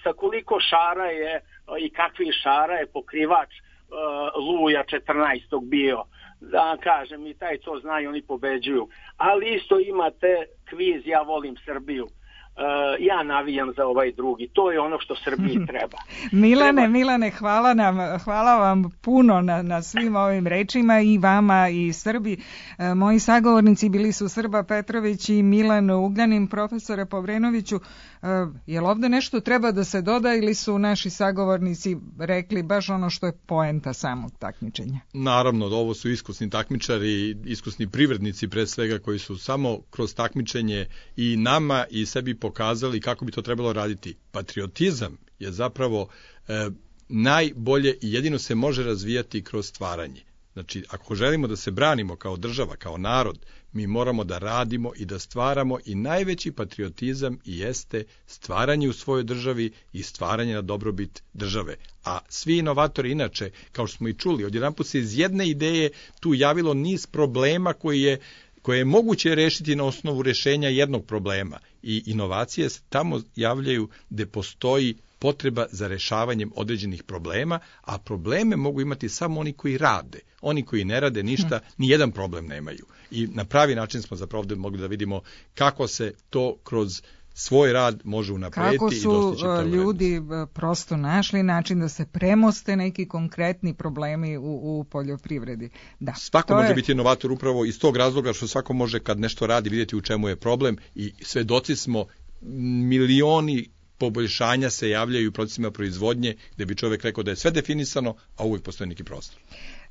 sa koliko šara je i kakvi šara je pokrivač e, Luja četrnaestog bio. Da kažem, i taj to znaju, oni pobeđuju. Ali isto imate kviz Ja volim Srbiju. Uh, ja navijam za ovaj drugi. To je ono što Srbiji treba. Milane, treba... Milane, hvala nam, hvala vam puno na, na svim ovim rečima, i vama i Srbi. Uh, moji sagovornici bili su Srba Petrović i Milan Ugljanin. Profesore Povrenoviću, uh, je li ovde nešto treba da se doda ili su naši sagovornici rekli baš ono što je poenta samog takmičenja? Naravno, ovo su iskusni takmičari, iskusni privrednici pre svega, koji su samo kroz takmičenje i nama i sebi pokazali kako bi to trebalo raditi. Patriotizam je zapravo e, najbolje i jedino se može razvijati kroz stvaranje. Znači, ako želimo da se branimo kao država, kao narod, mi moramo da radimo i da stvaramo, i najveći patriotizam i jeste stvaranje u svojoj državi i stvaranje na dobrobit države. A svi inovatori inače, kao što smo i čuli, odjedanput se iz jedne ideje tu javilo niz problema koji je koje je moguće rešiti na osnovu rešenja jednog problema. I inovacije se tamo javljaju gde postoji potreba za rešavanjem određenih problema, a probleme mogu imati samo oni koji rade. Oni koji ne rade ništa, ni jedan problem nemaju. I na pravi način smo zapravo ovde mogli da vidimo kako se to kroz svoj rad može unaprediti i dostići to vrednost. Kako su ljudi prosto našli način da se premoste neki konkretni problemi u, u poljoprivredi. Da, svako može je... biti inovator upravo iz tog razloga što svako može kad nešto radi vidjeti u čemu je problem, i svedoci smo milioni poboljšanja se javljaju u procesima proizvodnje gde bi čovjek rekao da je sve definisano, a uvijek postoji neki prostor.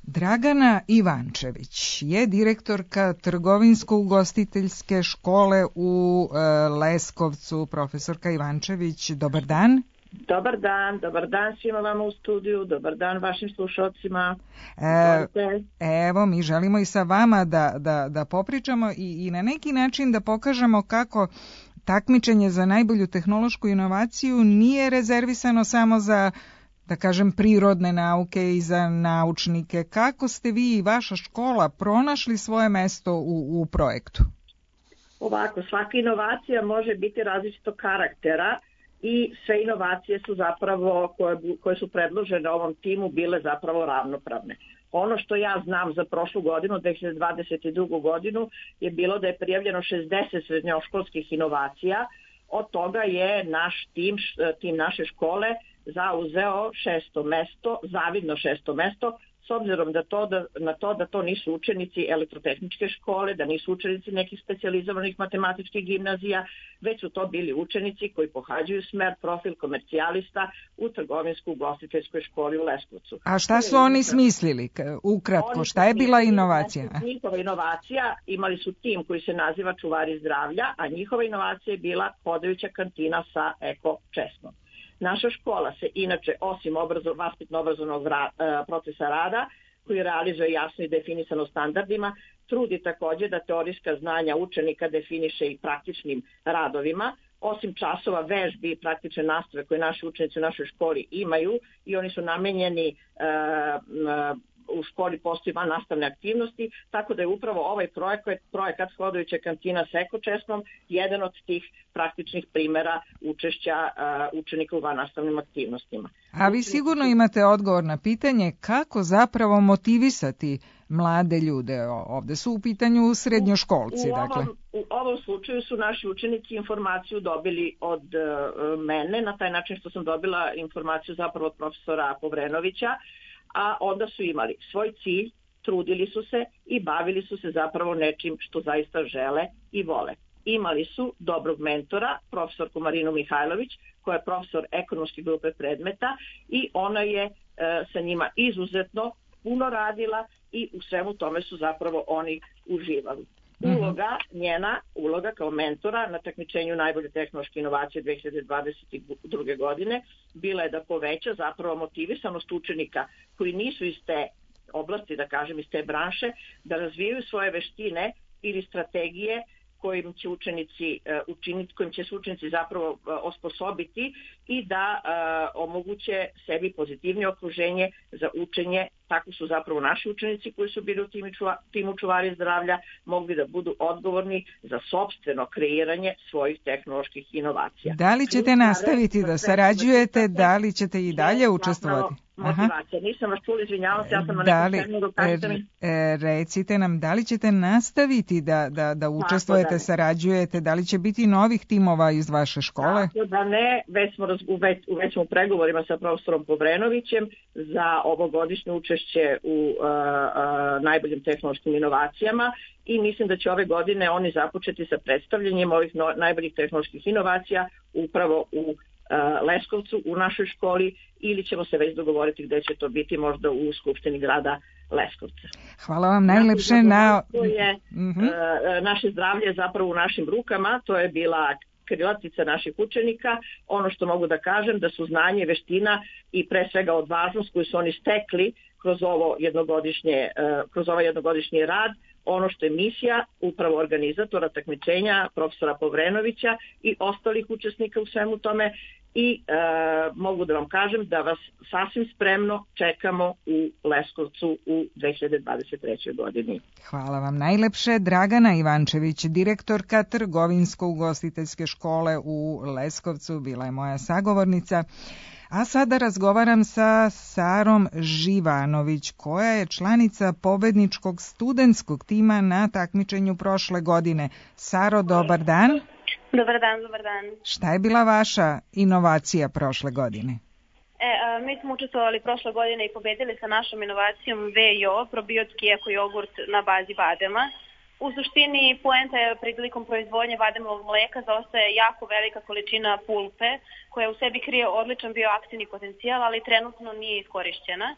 Dragana Ivančević je direktorka trgovinsko-ugostiteljske škole u e, Leskovcu. Profesorka Ivančević, dobar dan. Dobar dan, dobar dan svima vama u studiju, dobar dan vašim slušalcima. E, evo, mi želimo i sa vama da, da, da popričamo i, i na neki način da pokažemo kako takmičenje za najbolju tehnološku inovaciju nije rezervisano samo za, da kažem, prirodne nauke i za naučnike. Kako ste vi i vaša škola pronašli svoje mesto u, u projektu? Ovako, svaka inovacija može biti različitog karaktera i sve inovacije su zapravo, koje, koje su predložene ovom timu, bile zapravo ravnopravne. Ono što ja znam za prošlu godinu, dve hiljade dvadeset drugu godinu, je bilo da je prijavljeno šezdeset srednjoškolskih inovacija. Od toga je naš tim, tim naše škole zauzeo šesto mesto, zavidno šesto mesto, s obzirom da to, da, na to da to nisu učenici elektrotehničke škole, da nisu učenici nekih specijalizovanih matematičkih gimnazija, već su to bili učenici koji pohađaju smer profil komercijalista u trgovinsko-ugostiteljskoj školi u Leskovcu. A šta su oni smislili? Ukratko, šta je bila inovacija? Njihova inovacija, imali su tim koji se naziva Čuvari zdravlja, a njihova inovacija je bila hodajuća kantina sa eko česmom. Naša škola se inače, osim obrazo, vaspitno-obrazovnog ra, e, procesa rada, koji realizuje jasno i definisano standardima, trudi također da teorijska znanja učenika definiše i praktičnim radovima. Osim časova vežbi i praktične nastave koje naši učenici u našoj školi imaju i oni su namenjeni e, e, u školi postoji van nastavne aktivnosti, tako da je upravo ovaj projekat, projekat hodajuća kantina s ekočesmom jedan od tih praktičnih primjera učešća uh, učenika u van nastavnim aktivnostima. A vi sigurno imate odgovor na pitanje kako zapravo motivisati mlade ljude. Ovde su u pitanju srednjoškolci. U, u, dakle. ovom, u ovom slučaju su naši učenici informaciju dobili od uh, mene, na taj način što sam dobila informaciju zapravo od profesora Povrenovića, a onda su imali svoj cilj, trudili su se i bavili su se zapravo nečim što zaista žele i vole. Imali su dobrog mentora, profesorku Marinu Mihajlović, koja je profesor ekonomske grupe predmeta i ona je e, sa njima izuzetno puno radila i u svemu tome su zapravo oni uživali. Uloga njena, uloga kao mentora na takmičenju najbolje tehnološke inovacije dve hiljade dvadeset druge godine bila je da poveća zapravo motivisanost učenika koji nisu iz te oblasti, da kažem iz te branše, da razvijaju svoje veštine ili strategije kojim će učenici učiniti, kojim će se učenici zapravo osposobiti i da uh, omoguće sebi pozitivnije okruženje za učenje. Tako su zapravo naši učenici koji su bili u timu, čuva, timu Čuvari zdravlja mogli da budu odgovorni za sopstveno kreiranje svojih tehnoloških inovacija. Da li ćete nastaviti da sarađujete, da li ćete i dalje učestvovati? Motivacija. Nisam vas čula, izvinjavam se, ja sam na da nekom terminu, kažete mi. E, recite nam, da li ćete nastaviti da, da, da učestvujete, da sarađujete, da li će biti novih timova iz vaše škole? Tako da ne, već smo raz, u, već, u već smo u pregovorima sa profesorom Povrenovićem za ovogodišnje učešće u uh, uh, najboljim tehnološkim inovacijama i mislim da će ove godine oni započeti sa predstavljanjem ovih no, najboljih tehnoloških inovacija upravo u Leskovcu u našoj školi ili ćemo se već dogovoriti gde će to biti, možda u Skupštini grada Leskovca. Hvala vam najlepše na... Je, mm-hmm. Naše zdravlje je zapravo u našim rukama, to je bila krilatica naših učenika. Ono što mogu da kažem da su znanje, veština i pre svega odvažnost koju su oni stekli kroz ovo jednogodišnje, kroz ovaj jednogodišnji rad, ono što je misija upravo organizatora takmičenja, profesora Povrenovića i ostalih učesnika u svemu tome i e, mogu da vam kažem da vas sasvim spremno čekamo u Leskovcu u dve hiljade dvadeset trećoj godini. Hvala vam najlepše. Dragana Ivančević, direktorka Trgovinsko-ugostiteljske škole u Leskovcu, bila je moja sagovornica. A sada razgovaram sa Sarom Živanović, koja je članica pobedničkog studentskog tima na takmičenju prošle godine. Saro, dobar dan. Dobar dan, dobar dan. Šta je bila vaša inovacija prošle godine? E, a, mi smo učestvovali prošle godine i pobedili sa našom inovacijom V I O, probiotski eko jogurt na bazi badema. U suštini, poenta je prilikom proizvodnje vademovog mleka zaostaje jako velika količina pulpe koja u sebi krije odličan bioaktivni potencijal, ali trenutno nije iskorišćena.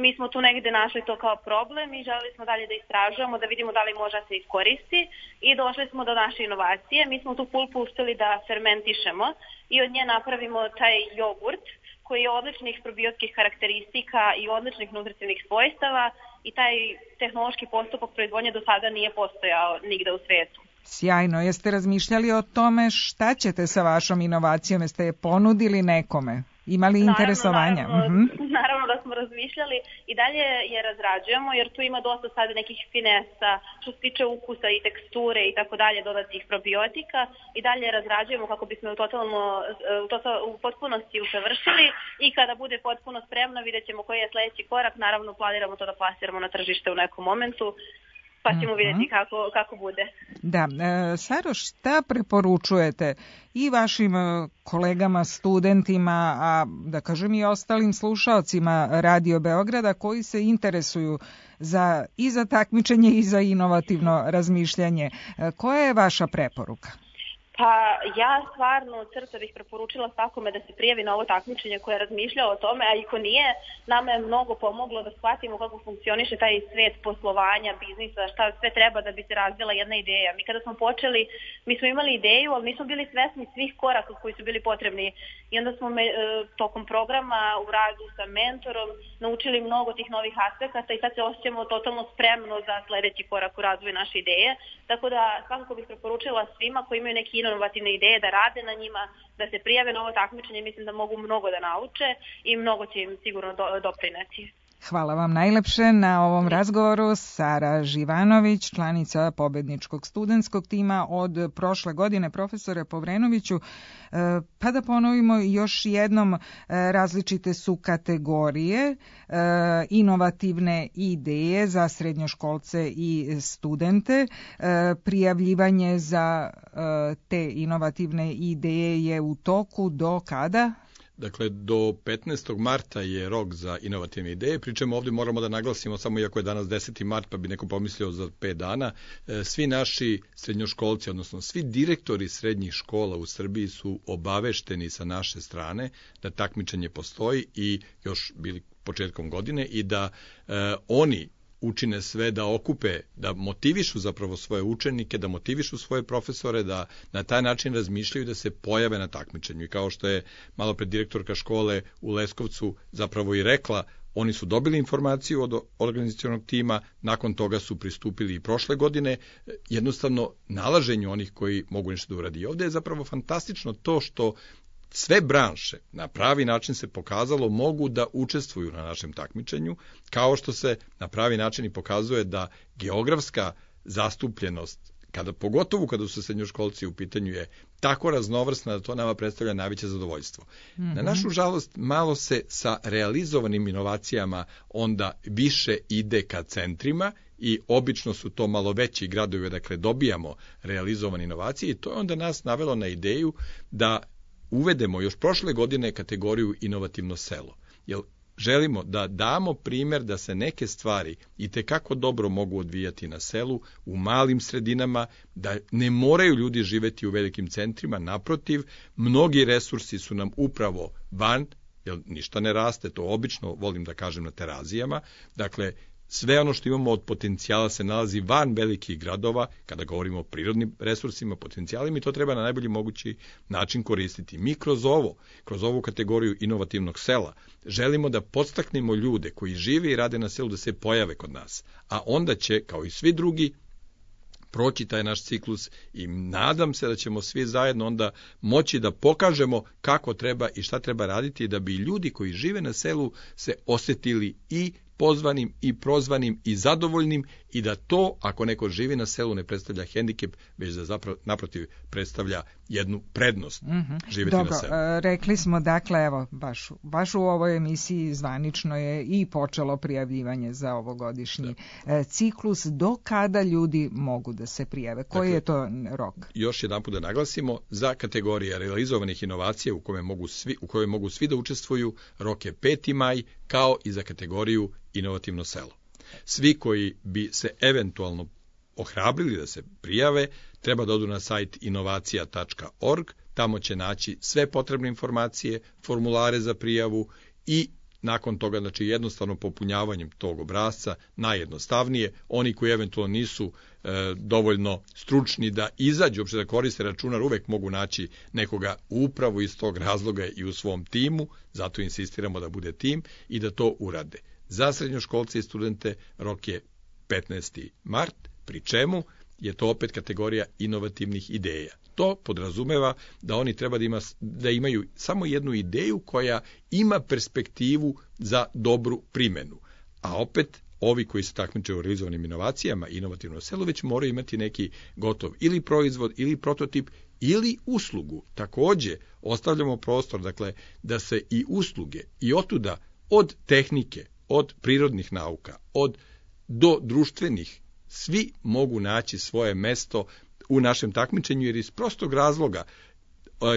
Mi smo tu negde našli to kao problem i želeli smo dalje da istražujemo, da vidimo da li može da se iskoristi i došli smo do naše inovacije. Mi smo tu pulpu uspeli da fermentišemo i od nje napravimo taj jogurt koji je odličnih probiotskih karakteristika i odličnih nutritivnih svojstava i taj tehnološki postupak proizvodnje do sada nije postojao nigde u svetu. Sjajno. Jeste razmišljali o tome šta ćete sa vašom inovacijom? Jeste je ponudili nekome? Imali interesovanja? Naravno, naravno, uh-huh. naravno da smo razmišljali i dalje je razrađujemo jer tu ima dosta sada nekih finesa što se tiče ukusa i teksture i tako dalje dodatnih probiotika i dalje razrađujemo kako bismo u, totalno, u, total, u potpunosti usavršili i kada bude potpuno spremno vidjet ćemo koji je sledeći korak. Naravno planiramo to da plasiramo na tržište u nekom momentu. Pa ćemo vidjeti kako, kako bude. Da, e, Saro, šta preporučujete i vašim kolegama, studentima, a da kažem i ostalim slušaocima Radio Beograda koji se interesuju za, i za takmičenje i za inovativno razmišljanje? E, koja je vaša preporuka? Pa ja stvarno od srca bih preporučila svakome da se prijavi na ovo takmičenje koje je razmišljao o tome, a i ko nije, nama je mnogo pomoglo da shvatimo kako funkcioniše taj svet poslovanja, biznisa, šta sve treba da bi se razvila jedna ideja. Mi kada smo počeli, mi smo imali ideju, ali nismo bili svesni svih koraka koji su bili potrebni i onda smo me, tokom programa u radu sa mentorom naučili mnogo tih novih aspekata i sad se osjećamo totalno spremno za sledeći korak u razvoju naše ideje. Tako da svakako bih preporučila svima koji imaju neki inovativne ideje da rade na njima, da se prijave na ovo takmičenje, mislim da mogu mnogo da nauče i mnogo će im sigurno do, doprineti. Hvala vam najlepše na ovom razgovoru. Sara Živanović, članica pobedničkog studentskog tima od prošle godine. Profesore Povrenoviću, pa da ponovimo još jednom, različite su kategorije, inovativne ideje za srednjoškolce i studente. Prijavljivanje za te inovativne ideje je u toku do kada? Dakle, do petnaestog marta je rok za inovativne ideje, pričemu ovdje moramo da naglasimo, samo iako je danas deseti mart, pa bi neko pomislio za pet dana, svi naši srednjoškolci, odnosno svi direktori srednjih škola u Srbiji su obavešteni sa naše strane da takmičenje postoji i još bili početkom godine i da e, oni učine sve da okupe, da motivišu zapravo svoje učenike, da motivišu svoje profesore, da na taj način razmišljaju da se pojave na takmičenju. I kao što je malo pred direktorka škole u Leskovcu zapravo i rekla, oni su dobili informaciju od organizacionog tima, nakon toga su pristupili i prošle godine, jednostavno nalaženju onih koji mogu nešto da uradi. Ovdje je zapravo fantastično to što sve branše na pravi način se pokazalo mogu da učestvuju na našem takmičenju, kao što se na pravi način i pokazuje da geografska zastupljenost, kada, pogotovo kada su srednjoškolci u pitanju, je tako raznovrsna da to nama predstavlja najveće zadovoljstvo. Mm-hmm. Na našu žalost, malo se sa realizovanim inovacijama onda više ide ka centrima i obično su to malo veći gradovi, dakle dobijamo realizovane inovacije i to je onda nas navelo na ideju da uvedemo još prošle godine kategoriju inovativno selo. Jer želimo da damo primjer da se neke stvari itekako dobro mogu odvijati na selu, u malim sredinama, da ne moraju ljudi živeti u velikim centrima, naprotiv, mnogi resursi su nam upravo van, jer ništa ne raste, to obično volim da kažem na terazijama, dakle, sve ono što imamo od potencijala se nalazi van velikih gradova, kada govorimo o prirodnim resursima, potencijalima, i to treba na najbolji mogući način koristiti. Mi kroz ovo, kroz ovu kategoriju inovativnog sela, želimo da podstaknemo ljude koji žive i rade na selu da se pojave kod nas, a onda će, kao i svi drugi, proći taj naš ciklus i nadam se da ćemo svi zajedno onda moći da pokažemo kako treba i šta treba raditi da bi ljudi koji žive na selu se osjetili i pozvanim i prozvanim i zadovoljnim i da to, ako neko živi na selu, ne predstavlja hendikep, već da zapravo naprotiv predstavlja jednu prednost mm-hmm. živjeti Dobro, na selu. Rekli smo, dakle, evo, baš, baš u ovoj emisiji zvanično je i počelo prijavljivanje za ovogodišnji da. ciklus. Do kada ljudi mogu da se prijave? Koji dakle, je to rok? Još jedan put da naglasimo, za kategorije realizovanih inovacija u kojoj mogu svi, u kojoj mogu svi da učestvuju, rok je peti maj, kao i za kategoriju inovativno selo. Svi koji bi se eventualno ohrabrili da se prijave, treba da odu na sajt inovacija tačka org, tamo će naći sve potrebne informacije, formulare za prijavu i nakon toga, znači jednostavno popunjavanjem tog obrasca, najjednostavnije, oni koji eventualno nisu e, dovoljno stručni da izađu, uopšte da koriste računar, uvek mogu naći nekoga upravo iz tog razloga i u svom timu, zato insistiramo da bude tim i da to urade. Za srednjoškolce i studente rok je petnaesti mart, pri čemu je to opet kategorija inovativnih ideja. To podrazumeva da oni treba da, ima, da imaju samo jednu ideju koja ima perspektivu za dobru primenu. A opet, ovi koji se takmiče u realizovanim inovacijama, inovativno selo, već moraju imati neki gotov ili proizvod, ili prototip, ili uslugu. Takođe, ostavljamo prostor, dakle, da se i usluge, i otuda od tehnike, od prirodnih nauka, od do društvenih, svi mogu naći svoje mesto u našem takmičenju, jer iz prostog razloga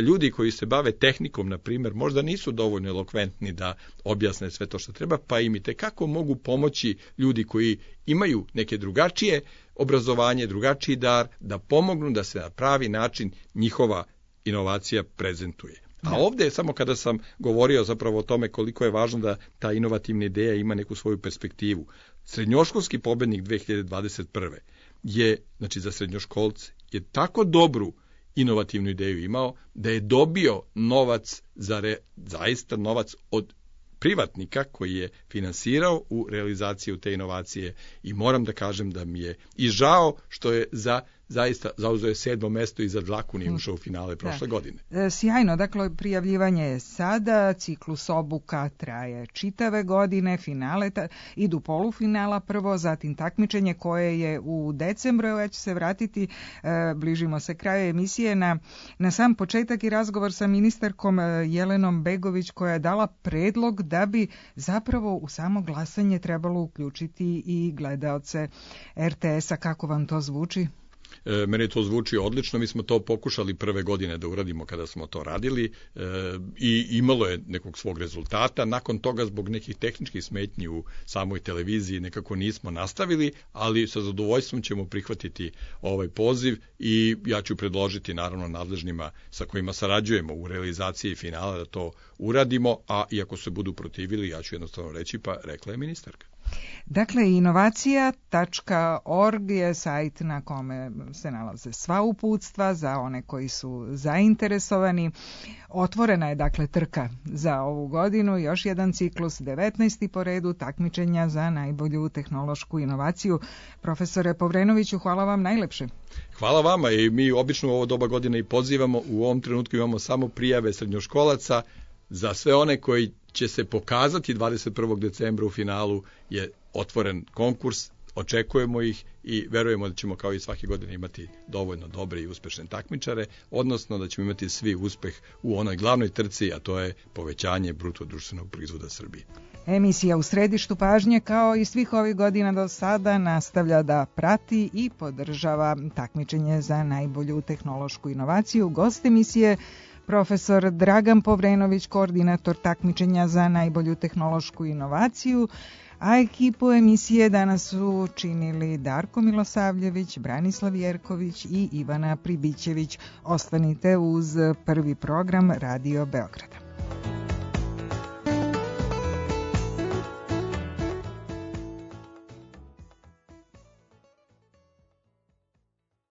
ljudi koji se bave tehnikom, na primjer, možda nisu dovoljno elokventni da objasne sve to što treba, pa im i tekako mogu pomoći ljudi koji imaju neke drugačije obrazovanje, drugačiji dar, da pomognu da se na pravi način njihova inovacija prezentuje. A ovdje, samo kada sam govorio zapravo o tome koliko je važno da ta inovativna ideja ima neku svoju perspektivu, srednjoškolski pobednik dve hiljade dvadeset prve je, znači za srednjoškolce, je tako dobru inovativnu ideju imao da je dobio novac, za re, zaista novac od privatnika koji je finansirao u realizaciju te inovacije i moram da kažem da mi je i žao što je za zaista zauzeo je sedmo mesto i za dlaku nije ušao u finale prošle da. godine. E, sjajno, dakle prijavljivanje je sada, ciklus obuka traje čitave godine, finale ta, idu polufinala prvo, zatim takmičenje koje je u decembru, ja ću se vratiti, e, bližimo se kraju emisije, na, na sam početak i razgovor sa ministarkom Jelenom Begović koja je dala predlog da bi zapravo u samo glasanje trebalo uključiti i gledaoce er te esa. Kako vam to zvuči? E, meni to zvuči odlično, mi smo to pokušali prve godine da uradimo kada smo to radili e, i imalo je nekog svog rezultata. Nakon toga zbog nekih tehničkih smetnji u samoj televiziji nekako nismo nastavili, ali sa zadovoljstvom ćemo prihvatiti ovaj poziv i ja ću predložiti naravno nadležnima sa kojima sarađujemo u realizaciji finala da to uradimo, a iako se budu protivili, ja ću jednostavno reći pa rekla je ministarka. Dakle, inovacija tačka org je sajt na kome se nalaze sva uputstva za one koji su zainteresovani. Otvorena je dakle trka za ovu godinu, još jedan ciklus, devetnaesti po redu takmičenja za najbolju tehnološku inovaciju. Profesore Povrenoviću, hvala vam najlepše. Hvala vama i mi obično u ovo doba godine i pozivamo, u ovom trenutku imamo samo prijave srednjoškolaca. Za sve one koji će se pokazati dvadeset prvog decembra u finalu je otvoren konkurs, očekujemo ih i verujemo da ćemo kao i svake godine imati dovoljno dobre i uspešne takmičare, odnosno da ćemo imati svi uspeh u onoj glavnoj trci, a to je povećanje bruto društvenog proizvoda Srbije. Emisija U središtu pažnje, kao i svih ovih godina do sada, nastavlja da prati i podržava takmičenje za najbolju tehnološku inovaciju. Gost emisije profesor Dragan Povrenović, koordinator takmičenja za najbolju tehnološku inovaciju, a ekipu emisije danas su činili Darko Milosavljević, Branislav Jerković i Ivana Pribićević. Ostanite uz prvi program Radio Beograda.